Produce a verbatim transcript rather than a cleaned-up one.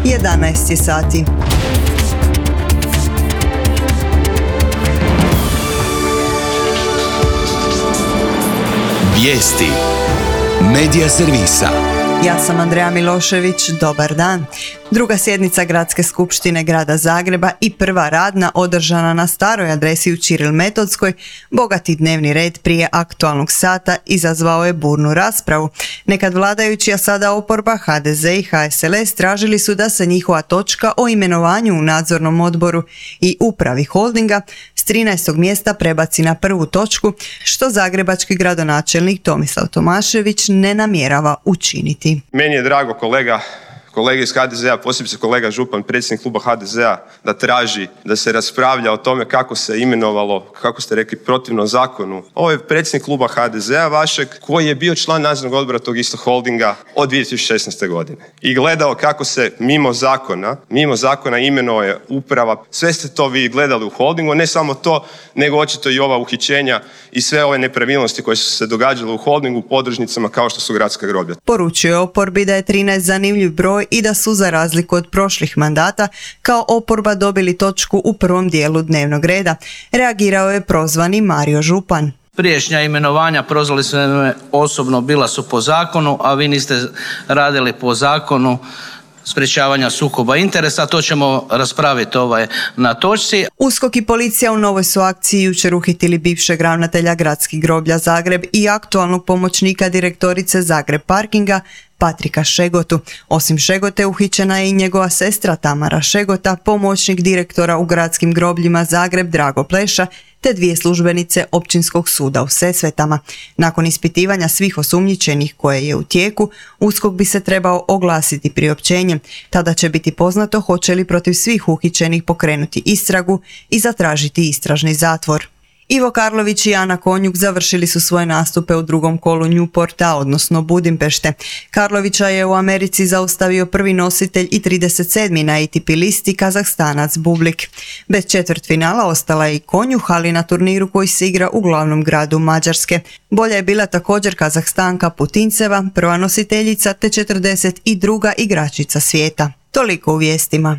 jedanaest je sati. Vijesti Medija servisa. Ja sam Andreja Milošević, dobar dan. Druga sjednica Gradske skupštine Grada Zagreba i prva radna održana na staroj adresi u Ćiril Metodskoj, bogati dnevni red prije aktualnog sata izazvao je burnu raspravu. Nekad vladajući, a sada oporba, ha de ze i ha es el es tražili su da se njihova točka o imenovanju u nadzornom odboru i upravi holdinga s trinaestog mjesta prebaci na prvu točku, što zagrebački gradonačelnik Tomislav Tomašević ne namjerava učiniti. Meni je drago kolega, kolege iz ha de zea, posebice kolega Župan, predsjednik kluba ha de zea, da traži da se raspravlja o tome kako se imenovalo, kako ste rekli, protivno zakonu. Ovo je predsjednik kluba ha de zea vašeg, koji je bio član nadzornog odbora tog istog holdinga od dvije tisuće šesnaeste. godine. I gledao kako se mimo zakona, mimo zakona imenuje uprava. Sve ste to vi gledali u holdingu, ne samo to, nego očito i ova uhićenja i sve ove nepravilnosti koje su se događale u holdingu, podružnicama kao što su gradska groblja. Poručuje oporbi da je trinaest zanimljiv broj i da su, za razliku od prošlih mandata, kao oporba dobili točku u prvom dijelu dnevnog reda. Reagirao je prozvani Mario Župan. Priješnja imenovanja, prozvali su me osobno, bila su po zakonu, a vi niste radili po zakonu sprječavanja sukoba interesa. To ćemo raspraviti ovaj na točci. USKOK i policija u novoj su akciji jučer uhitili bivšeg ravnatelja Gradskih groblja Zagreb i aktualnog pomoćnika direktorice Zagreb Parkinga Patrika Šegotu. Osim Šegote uhićena je i njegova sestra Tamara Šegota, pomoćnik direktora u Gradskim grobljima Zagreb Drago Pleša, te dvije službenice Općinskog suda u Sesvetama. Nakon ispitivanja svih osumnjičenih koje je u tijeku, USKOK bi se trebao oglasiti priopćenjem. Tada će biti poznato hoće li protiv svih uhićenih pokrenuti istragu i zatražiti istražni zatvor. Ivo Karlović i Ana Konjuk završili su svoje nastupe u drugom kolu Newporta, odnosno Budimpešte. Karlovića je u Americi zaustavio prvi nositelj i trideset sedmi na A T P listi Kazahstanac Bublik. Bez četvrtfinala ostala je i Konjuh, ali na turniru koji se igra u glavnom gradu Mađarske. Bolja je bila također Kazahstanka Putinceva, prva nositeljica te četrdeset druga igračica svijeta. Toliko u vijestima.